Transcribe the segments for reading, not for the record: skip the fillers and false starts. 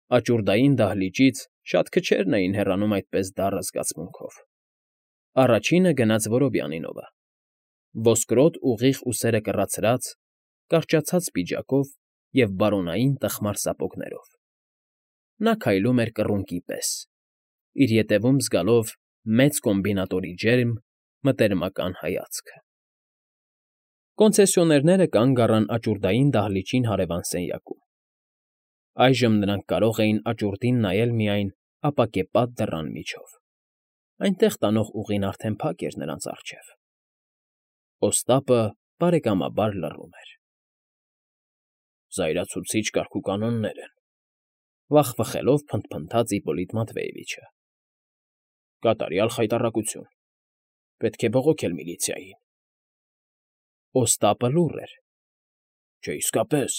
Աճուրդային դահլիճից շատ քչերն էին հեռանում այդպես դառը զգացմունքով. առաջինը գնաց Որոբյանինովը, ոսկրոտ ուղիղ ուսերը կռացրած, կարճացած պիջակով և բարոնային տխմար սապոգներով. նա քայլում էր կռունկի պես, իր ետևում զգալով մեծ կոմբինատորի ջերմ, մտերմական հայացքը։ Կոնցեսիոներները կանգ առան աճուրդային դահլիճին հարևան սենյակում. այժմ նրանք կարող էին աճուրդին նայել միայն ապակեպատ դռան միջով. այնտեղ տանող ուղին արդեն փակ էր նրանց առջև։ Օստապը բարեկամաբար լռում էր։ «Զայրացուցիչ կարգուկանոններ են,֊ վախվխելով փնթփնթաց Իպոլիտ Մատվեևիչը։֊ Կատարյալ խայտառակություն, պետք է բողոքել միլիցիային»։ Օստապը լուռ էր։ «Չէ, իսկապես,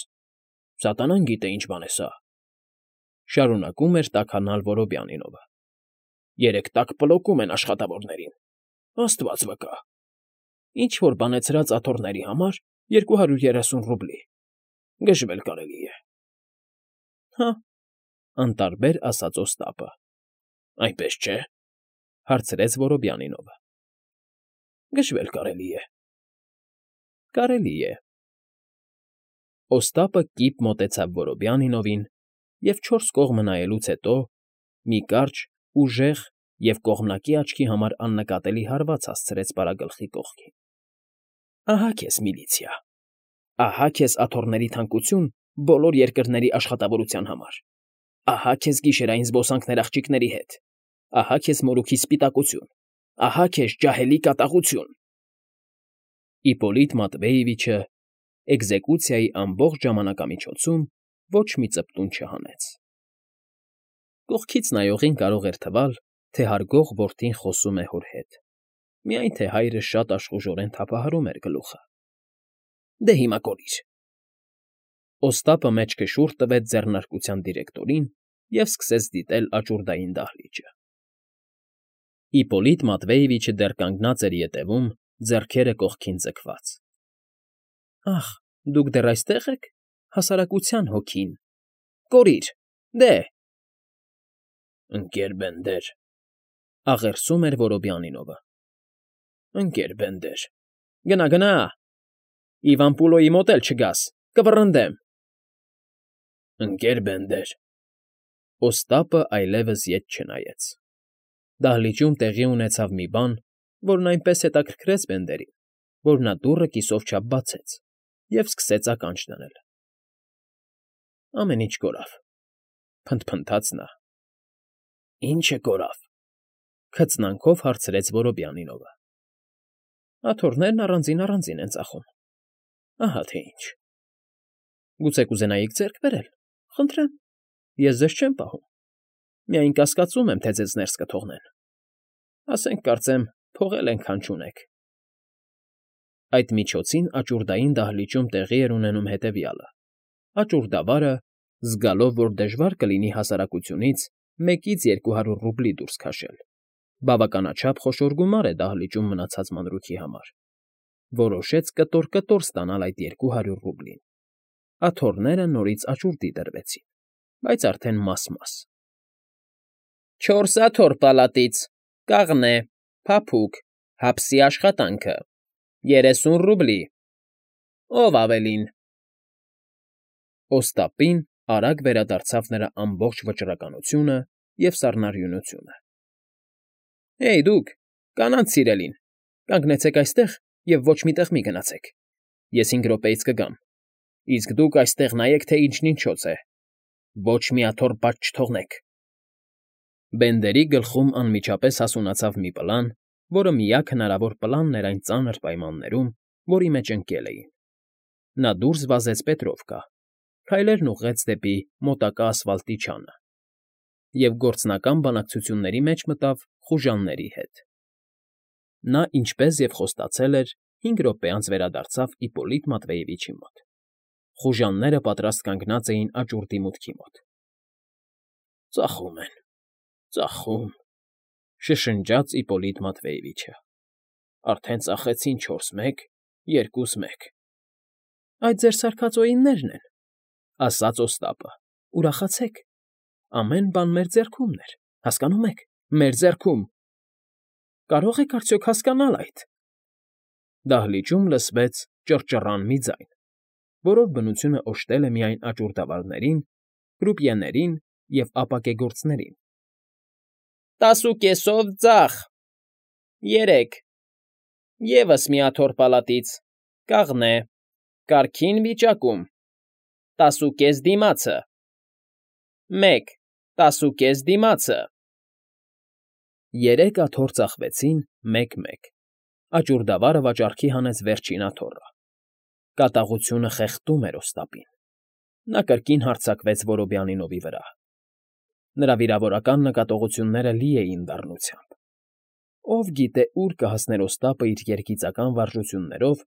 սատանան գիտե ինչ բան է սա,֊ շարունակում էր տաքանալ Որոբյանինովը։֊ Երեկ տաք պլոկում են աշխատավորներին, աստված վկա, ինչ֊որ բանեցրած աթոռների համար 230 ռուբլի, գժվել կարելի է։ ֊ Հա՛,֊ անտարբեր ասաց Օստապը։ ֊ Այնպես չէ՞,֊ հարցրեց Որոբյանինովը։ ֊ Գժվել կարելի է։ ֊ Կարելի է։ Օստապը կիպ մոտեցավ Որոբյանինովին և, չորս կողմը նայելուց հետո, մի կարճ, ուժեղ և կողմնակի աչքի համար աննկատելի հարված հասցրեց պարագլխի կողքին։ ֊ Ահա քեզ միլիցիա, ահա քեզ աթոռների թանկություն բոլոր երկրների աշխատավորության համար, ահա քեզ գիշերային զբոսանքներ աղջիկների հետ, ահա քեզ մորուքի սպիտակություն, ահա քեզ ջահելի կատաղություն… Իպոլիտ Մատվեևիչը էկզեկուցիայի ամբողջ ժամանակամիջոցում ոչ մի ծպտուն չհանեց։ Կողքից նայողին կարող էր թվալ, թե հարգող որդին խոսում է հոր հետ, միայն թե հայրը շատ աշխուժորեն թափահարում էր գլուխը։ Դե հիմա կորիր… Օստապը մեջքը շուռ տվեց ձեռնարկության դիրեկտորին և սկսեց դիտել աճուրդային դահլիճը։ Իպոլիտ Մատվեևիչը դեռ կանգնած էր ետևում, ձեռքերը կողքին ձգված։ ֊ Ախ, դուք դեռ այստեղ եք, հասարակության հոգին… Կորիր, դե… Ընկեր Բենդեր,֊ աղերսում էր Որոբյանինովը։֊ Ընկեր Բենդեր… Գնա, գնա… Իվան Պուլոյի մոտ էլ չգաս, կվռնդեմ… Ընկեր Բենդեր… Օստապը այլևս ետ չնայեց։ Դահլիճում տեղի ունեցավ մի բան, որն այնպես հետաքրքրեց Բենդերին, որ նա դուռը կիսով չափ բացեց և սկսեց ականջ դնել։ ֊ Ամեն ինչ կորավ,֊ փնթփնթաց նա։ ֊ Ի՞նչը կորավ,֊ քծնանքով հարցրեց Որոբյանինովը։ ֊ Աթոռներն առանձին են ծախում, ահա թե ինչ… Գուցե կուզենայիք ձեռք բերել, խնդրեմ, ես ձեզ չեմ պահում, միայն կասկածում եմ, թե ձեզ ներս կթողնեն… Ասենք կարծեմ, փողել ենքան չունեք… Այդ միջոցին աճուրդային դահլիճում տեղի էր ունենում հետևյալը. աճուրդավարը, զգալով, որ դժվար կլինի հասարակությունից 1-200 ռուբլի դուրս քաշել, բավականաչափ խոշոր գումար է դահլիճում մնացած մանրուքի համար, որոշեց կտոր֊կտոր ստանալ այդ 200 ռուբլին։ Աթոռները նորից աճուրդի դրվեցին, բայց արդեն մաս֊մաս։ ֊ 4 աթոռ պալատից, կաղնե, փափուկ, հապսի աշխատանքը, 30 ռուբլի… Ո՞վ ավելին… Օստապին արագ վերադարձավ նրա ամբողջ վճռականությունը և սառնարյունությունը։ ֊ Հեյ, դուք, կանանց սիրելին, կանգնեցեք այստեղ և ոչ մի տեղ մի գնացեք, ես 5 րոպեից կգամ, իսկ դուք այստեղ նայեք, թե ինչն ինչոց է, ոչ մի աթոռ բաց չթողնեք… Բենդերի գլխում անմիջապես հասունացավ մի պլան, որը միակ հնարավոր պլանն էր այն ծանր պայմաններում, որի մեջ ընկել էին։ Նա դուրս վազեց Պետրովկա, քայլերն ուղղեց դեպի մոտակա ասֆալտի չանը և գործնական բանակցությունների մեջ մտավ խուժանների հետ։ Նա, ինչպես և խոստացել էր, 5 րոպե անց վերադարձավ Իպոլիտ Մատվեևիչի մոտ։ Խուժանները պատրաստ կանգնած էին աճուրդի մուտքի մոտ։ ֊ Ծախում են, ծախում,֊ շշնջաց Իպոլիտ Մատվեևիչը։֊ Արդեն ծախեցին 4-1, 2-1… Այդ ձեր սարքած օիններն են,֊ ասաց Օստապը։֊ Ուրախացեք, Ամեն բան մեր ձեռքումն էր, հասկանո՞ւմ եք, մեր ձեռքում։ Կարո՞ղ եք արդյոք հասկանալ այդ։ Դահլիճում լսվեց ճռճռան մի ձայն, որով բնությունը օժտել է միայն աճուրդավարներին, կրուպիեներին և ապակեգործներին։ 10.5-ով ձախ, 3, ևս մի աթոռ պալատից, կաղնե, կարգին վիճակում, 10.5 դիմացը, 1, 10.5 դիմացը։ 3 աթոռ ծախվեցին 1-1։ Աճուրդավարը վաճառքի հանեց վերջին աթոռը։ Կատաղությունը խեղդում էր Օստապին։ Նա կրկին հարձակվեց Որոբյանինովի վրա։ Նրա վիրավորական նկատողությունները լի էին դառնությամբ։ Ով գիտե ուր կհասներ Օստապը իր երգիծական վարժություններով,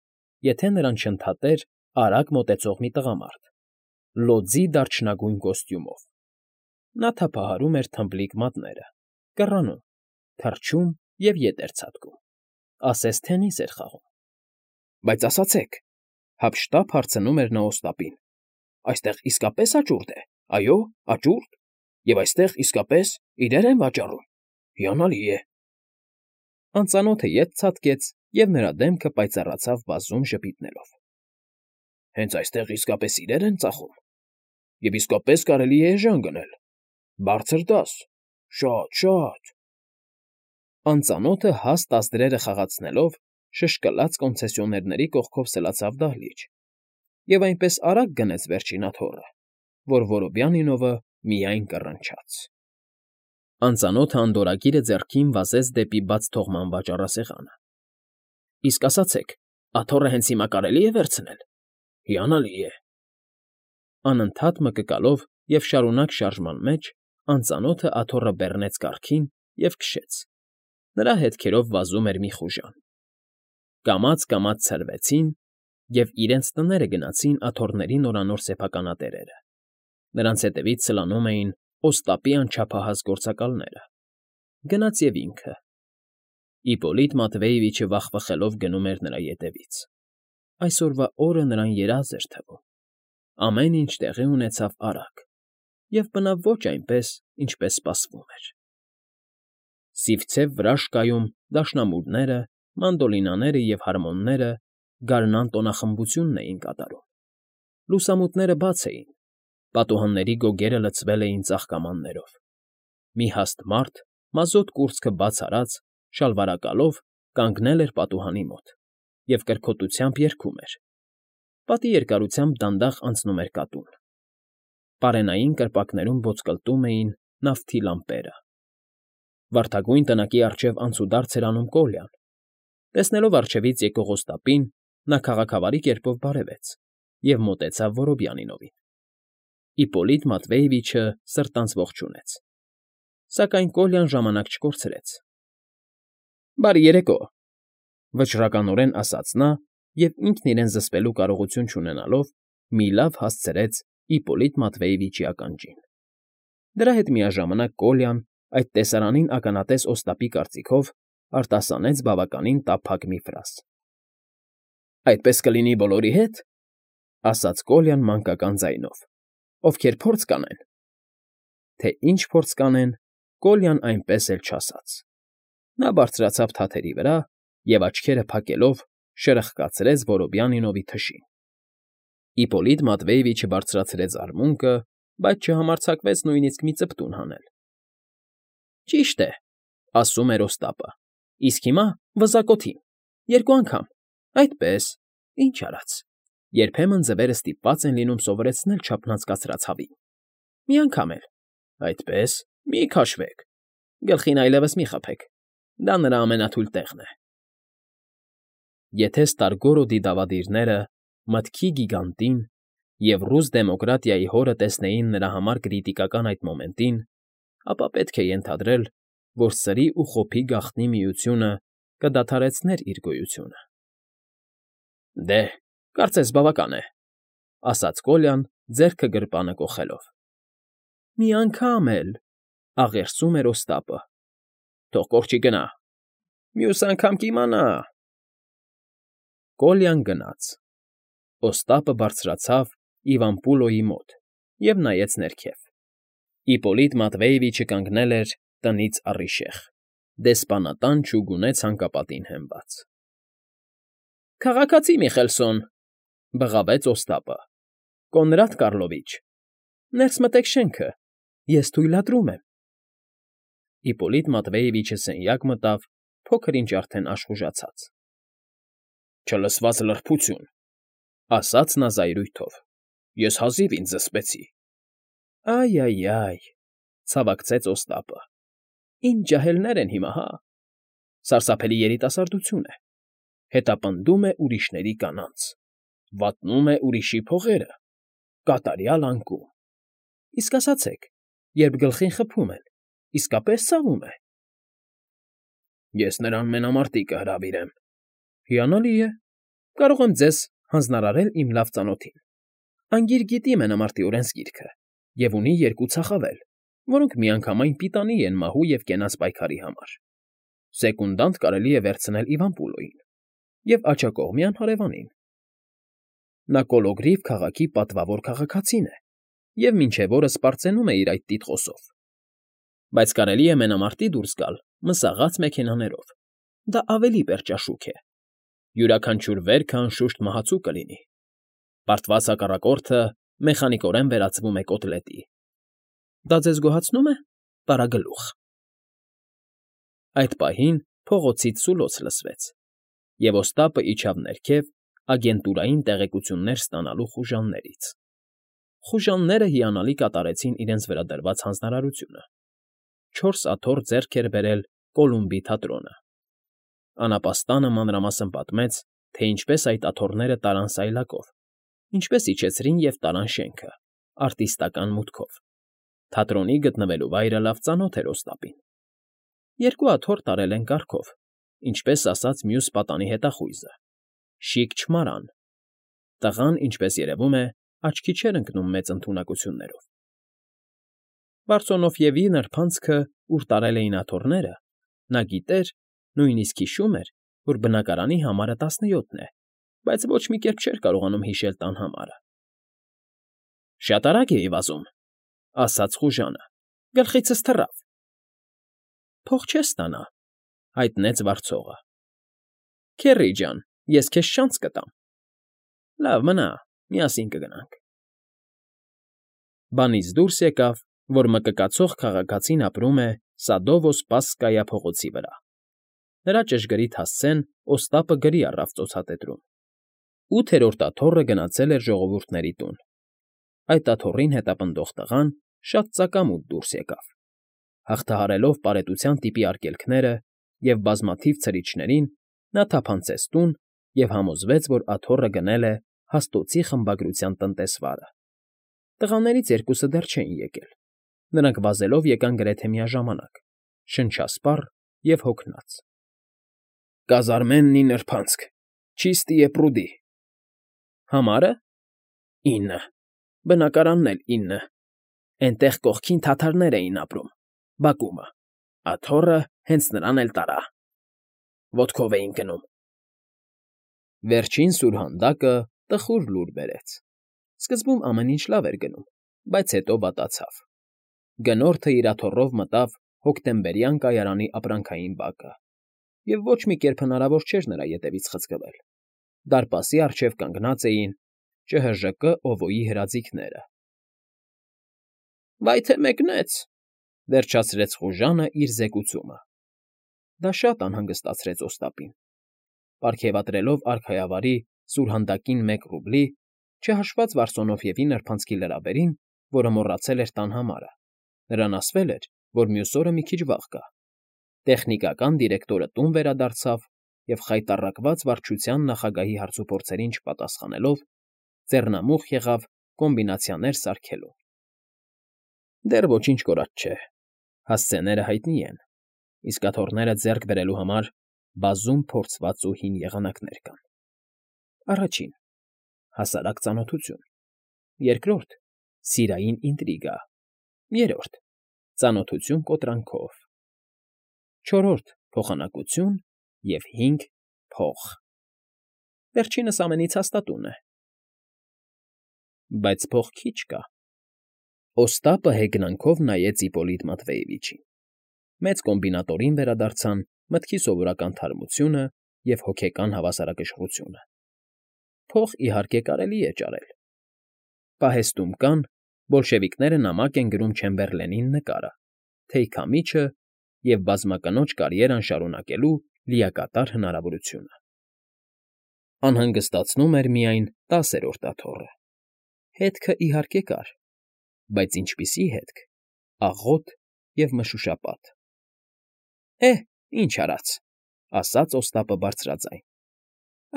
եթե նրան չընդհատեր արագ մոտեցող մի տղամարդ, լոձի դարչնագույն կոստյումով։ Նա թափահարում էր թմբլիկ մատները, կռանում, թռչում և ետ էր ցատկում, ասես թենիս էր խաղում։ Բայց ասացեք, հափշտապ հարցնում էր նա Օստապին, այստեղ իսկապե՞ս աճուրդ է, այո, աճուրդ, և այստեղ իսկապես իրեր են վաճառում, հիանալի է։ Անծանոթը ետ ցատկեց, և նրա դեմքը պայծառացավ բազում ժպիտներով։ Հենց այստեղ իսկապես իրեր են ծախում, և իսկապես կարելի է էժան գնել, բարձր դաս, շատ։ Անծանոթը հաստ ազդրերը խաղացնելով շշկլաց կոնցեսիոներների կողքով սլացավ դահլիճ և այնպես արագ գնեց վերջին աթոռը, որ Որոբյանինովը միայն կռնչաց։ Անծանոթը անդորրագիրը ձեռքին վազեց դեպի բաց թողման վաճառասեղանը։ Իսկ ասացեք, աթոռը հենց հիմա կարելի է վերցնել, հիանալի է։ Անընդհատ մկկալով և շարունակ շարժման մեջ անծանոթը աթոռը բեռնեց կառքին և քշեց։ Նրա հետքերով վազում էր մի խուժան։ Կամաց֊կամաց ցրվեցին և իրենց տները գնացին աթոռների նորանոր սեփականատերերը։ Նրանց հետևից սլանում էին Օստապի անչափահաս գործակալները։ Գնաց և ինքը։ Իպոլիտ Մատվեևիչը վախվխելով գնում էր նրա ետևից։ Այսօրվա օրը նրան երազ էր թվում։ Ամեն ինչ տեղի ունեցավ արագ և բնավ ոչ այնպես, ինչպես սպասվում էր։ Սիվցև վրա շկայում դաշնամուրները, մանդոլինաները և հարմոնները գարնան տոնախմբությունն էին կատարում։ Լուսամուտները բաց էին, պատուհանների գոգերը լցվել էին ծաղկամաններով։ Մի հաստ մարդ, մազոտ կուրծքը բաց արած, շալվարակալով կանգնել էր պատուհանի մոտ և կրքոտությամբ երգում էր։ Պատի երկարությամբ դանդաղ անցնում էր կատուն։ Պարենային կրպակներում ոսկլտում էին նավթի լամպերը։ Վարդագույն տնակի առջև անցուդարձ էր անում Կոլյան։ Տեսնելով առջևից եկող Օստապին, նա քաղաքավարի կերպով բարևեց և մոտեցավ Որոբյանինովին։ Իպոլիտ Մատվեևիչը սրտանց ողջունեց։ Սակայն Կոլյան ժամանակ չկորցրեց։ Բարի երեկո, վճռականորեն ասաց նա և ինքն իրեն զսպելու կարողություն չունենալով մի լավ հասցրեց Իպոլիտ Մատվեևիչի ականջին։ Դրա հետ միաժամանակ Կոլյան, այդ տեսարանին ականատես Օստապի կարծիքով, արտասանեց բավականին տափակ մի ֆրազ։ Այդպես կլինի բոլորի հետ, ասաց Կոլյան մանկական ձայնով, ովքեր փորձ կանեն։ Թե ինչ փորձ կանեն, Կոլյան այնպես էլ չասաց։ Նա բարձրացավ թաթերի վրա և աչքերը փակելով շրխկացրեց Որոբյանինովի թշին։ Իպոլիտ Մատվեևիչը բարձրացրեց արմունկը, բայց չհամարձակվեց նույնիսկ մի ծպտուն հանել։ Ճիշտ է, ասում էր Օստապը, իսկ հիմա վզակոթին, 2 անգամ, այդպես, ինչ արած, երբեմն ձվերը ստիպված են լինում սովորեցնել չափնացկացրած հավին։ Մի անգամ էլ, այդպես, մի քաշվեք, գլխին այլևս մի խփեք, դա նրա ամենաթույլ տեղն է։ Եթե Ստարգորոդի դավադիրները մտքի գիգանտին և ռուս դեմոկրատիայի հորը տեսնեին նրա համար կրիտիկական այդ մոմենտին, ապա պետք է ենթադրել, որ սրի ու խոփի գաղտնի միությունը կդադարեցներ իր գոյությունը։ Դե, կարծես բավական է, ասաց Կոլյան, ձեռքը գրպանը կոխելով։ Մի անգամ էլ, աղերսում էր Օստապը։ Թող կորչի գնա։ Մյուս անգամ կիմանա։ Կոլյան գնաց։ Օստապը բարձրացավ Իվան Պուլոյի մոտ և նայեց ներքև։ Իպոլիտ Մատվեևիչը կանգնել էր տնից առիժեղ, դեսպանատան չուգունե ցանկապատին հենված։ ֊ Քաղաքացի Միխելսոն,֊ բղավեց Օստապը,֊ Կոնրադ Կառլովիչ, ներս մտեք շենքը, ես թույլատրում եմ։ Իպոլիտ Մատվեևիչը սենյակ մտավ, փոքր-ինչ արդեն աշխուժացած։ ֊ Չլսված լրբություն,֊ ասաց նա զայրույթով,֊ ես հազիվ ինձ զսպեցի։ ֊ Այ,, ցավակցեց Օստապը,֊ ինչ ջահելներ են հիմա, հա… Սարսափելի երիտասարդություն է, հետապնդում է ուրիշների կանանց, վատնում է ուրիշի փողերը, կատարյալ անկում… Իսկ ասացեք, երբ գլխին խփում են, իսկապես ցավում է։ ֊ Ես նրան մենամարտի կհրավիրեմ։ ֊ Հիանալի է, կարող եմ ձեզ հանձնարարել իմ լավ ծանոթին. անգիր գիտի մենամարտի օրենսգիրքը և ունի երկու ցախավել, որոնք միանգամայն պիտանի են մահու և կենաց պայքարի համար. սեկունդանտ կարելի է վերցնել Իվան Պուլոյին և աջակողմյան հարևանին։ Նա Կոլոգրիվ քաղաքի պատվավոր քաղաքացին է և մինչև օրս պարծենում է իր այդ տիտղոսով, բայց կարելի է մենամարտի դուրս գալ մսաղացած մեքենաներով, դա ավելի պերճաշուք է, յուրաքանչյուր վերքը անշուշտ մահացու կլինի, պարտված հակառակորդը մեխանիկորեն վերածվում է կոտլետի։ Դա ձեզ գոհացնո՞ւմ է, պարագլուխ։ Այդ պահին փողոցից սուլոց լսվեց, և Օստապը իջավ ներքև ագենտուրային տեղեկություններ ստանալու խուժաններից։ Խուժանները հիանալի կատարեցին իրենց վրա դրված հանձնարարությունը. 4 աթոռ ձեռք էր բերել Կոլումբի թատրոնը։ Անապաստանը մանրամասն պատմեց, թե ինչպես այդ աթոռները տարան սայլակով, ինչպես իջեցրին և տարան շենքը, արտիստական մուտքով։ Թատրոնի գտնվելու վայրը լավ ծանոթ էր Օստապին։ 2 աթոռ տարել են կառքով, ինչպես ասաց մյուս պատանի հետախույզը՝ շիկ չմարան։ Տղան, ինչպես երևում է, աչքի չէր ընկնում մեծ ընդունակություններով։ Բարսոնոֆիևի նրբանցքը, ուր տարել էին աթոռները, նա գիտեր, նույնիսկ հիշում էր, որ բնակարանի համարը 17 է, բայց ոչ մի կերպ չէր կարողանում հիշել տան համարը։ ֊ Շատ արագ էի վազում,֊ ասաց խուժանը,֊ գլխիցս թռավ։ ֊ Փող չես ստանա,֊ հայտնեց վարձողը։ ֊ Քեռի ջան, ես քեզ չանց կտամ։ ֊ Լավ, մնա, միասին կգնանք։ Բանից դուրս եկավ, որ մկկացող քաղաքացին ապրում է Սադովո Սպասկայա փողոցի վրա։ Նրա ճշգրիտ հասցեն Օստապը գրի առավ ծոցատետրում. 8-րդ աթոռը գնացել էր ժողովուրդների տուն։ Այդ աթոռին հետապնդող տղան շատ ծակամուտ դուրս եկավ, հաղթահարելով պարետության տիպի արգելքները և բազմաթիվ ցրիչներին, նա թափանցեց տուն և համոզվեց, որ աթոռը գնել է հաստոցի խմբագրության տնտեսվարը։ Տղաներից երկուսը դեռ չէին եկել, նրանք վազելով եկան գրեթե միաժամանակ, շնչասպառ և հոգնած։ ֊ Կազարմեննի նրբանցք, Չիստիե պրուդի։ ֊ Համարը։ ֊ 9, բնակարանն էլ 9, էնտեղ կողքին թաթարներ էին ապրում, բակումը, աթոռը հենց նրան էլ տարա… Ոտքով էին գնում… Վերջին սուրհանդակը տխուր լուր բերեց։ Սկզբում ամեն ինչ լավ էր գնում, բայց հետո վատացավ։ Գնորդը իր աթոռով մտավ հոկտեմբերյան կայարանի ապրանքային բակը, և ոչ մի կերպ հնարավոր չէր նրա ետևից խցկվել։ Դարպասի առջև կանգնած էին ՃՀԺԿ Օվոյի հրաձիգները։ ֊ Վայ թե մեկնեց,֊ վերջացրեց խուժանը իր զեկուցումը։ Դա շատ անհանգստացրեց Օստապին։ Պարգևատրելով արքայավարի սուրհանդակին 1 ռուբլի, չհաշված Վարսոնոֆիևի նրբանցքի լրաբերին, որը մոռացել էր տան համարը, նրան ասվել էր, որ մյուս օրը մի քիչ վաղ գա։ Տեխնիկական դիրեկտորը տուն վերադարձավ և խայտառակված վարչության նախագահի հարցուփորձերին չպատասխանելով, ձեռնամուխ եղավ կոմբինացիաներ սարքելուն։ Դեռ ոչինչ կորած չէ, հասցեները հայտնի են, իսկ աթոռները ձեռք բերելու համար բազում փորձված ու հին եղանակներ կան։ Առաջին՝ հասարակ ծանոթություն, երկրորդ՝ սիրային ինտրիգա, երրորդ՝ ծանոթություն կոտրանքով, չորրորդ՝ փոխանակություն և 5՝ փող… Վերջինս ամենից հաստատունն է։ Բայց փող քիչ կա։ Օստապը հեգնանքով նայեց Իպոլիտ Մատվեևիչին։ Մեծ կոմբինատորին վերադարձան մտքի սովորական թարմությունը և հոգեկան հավասարակշռությունը։ Փող, իհարկե, կարելի է ճարել։ Պահեստում կան, բոլշևիկները նամակ են գրում Չեմբերլենին նկարը, թեյքամիջը և բազմակնոջ կարիերան շարունակելու լիակատար հնարավորությունը։ Անհանգստացնում էր միայն 10-րդ աթոռը։ Հետքը, իհարկե, կար, բայց ինչպիսի հետք՝ աղոտ և մշուշապատ։ Ինչ արած,֊ ասաց Օստապը բարձրաձայն,֊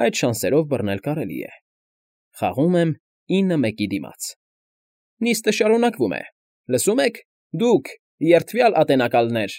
այդ շանսերով բռնել կարելի է։ Խաղում եմ 9-1-ի դիմաց։ Նիստը շարունակվում է, լսում եք, դուք, երդվյալ ատենակալներ։